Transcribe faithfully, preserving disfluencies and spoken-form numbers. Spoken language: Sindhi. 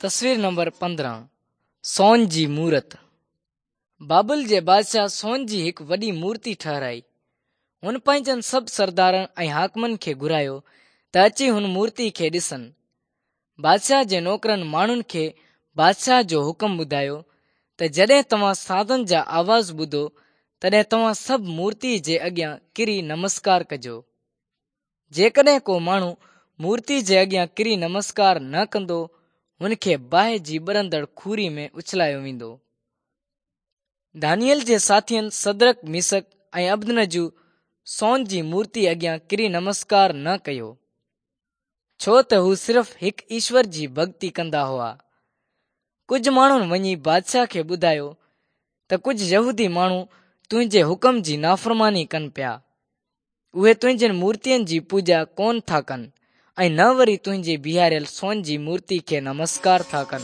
تصوير نمبر پندرهن، سون جي مورت. بابل جي بادشاهه سون جي هڪ وڏي مورتي ٺهرائي. هن پنهنجن سڀ سردارن ۽ حاڪمن کي گهرايو ته اچي هن مورتي کي ڏسن. بادشاهه جي نوڪرن ماڻهن کي بادشاهه جو حڪم ٻڌايو ته جڏهن توهان سازن جا آواز ٻڌو تڏهن توهان سڀ مورتي جي اڳيان ڪري نمسڪار ڪجو. جيڪڏهن ڪو ماڻهو مورتي جي اڳيان ڪري نمسڪار نه ڪندو، هن کي باهه جي ٻرندڙ کوري ۾ اڇلايو ويندو. دانيئل جي ساٿين سدرڪ، ميسڪ ۽ عبدنجو سون جي مورتي اڳيان ڪري نمسڪار نه ڪيو، ڇو ته هو صرف هڪ ايشور جي ڀڳتي ڪندا هئا. ڪجهه ماڻهن وڃي بادشاهه کي ٻڌايو ته ڪجهه يهودي ماڻهو تنهنجي حڪم جي نافرماني ڪن پيا. اهي تنهنجين مورتين جي پوڄا ڪونه ٿا ڪن ۽ نه وري تنهنجي بيهاريل سون جي مورتي کي نمسڪار ٿا ڪن.